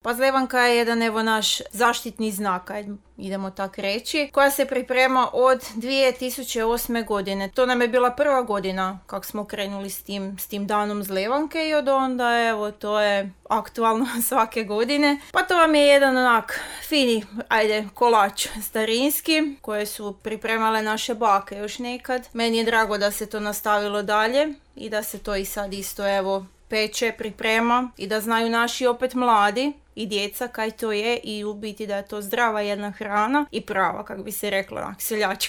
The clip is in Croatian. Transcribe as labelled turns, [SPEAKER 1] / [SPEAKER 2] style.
[SPEAKER 1] Pa zlevanka je jedan evo naš zaštitni znak, idemo tak reći, koja se priprema od 2008. godine. To nam je bila prva godina kako smo krenuli s tim danom zlevanke i od onda evo to je aktualno svake godine. Pa to vam je jedan onak fini, kolač starinski koje su pripremale naše bake još nekad. Meni je drago da se to nastavilo dalje i da se to i sad isto evo peče, priprema i da znaju naši opet mladi i djeca kaj to je i u biti da je to zdrava jedna hrana i prava, kako bi se rekla, seljačka.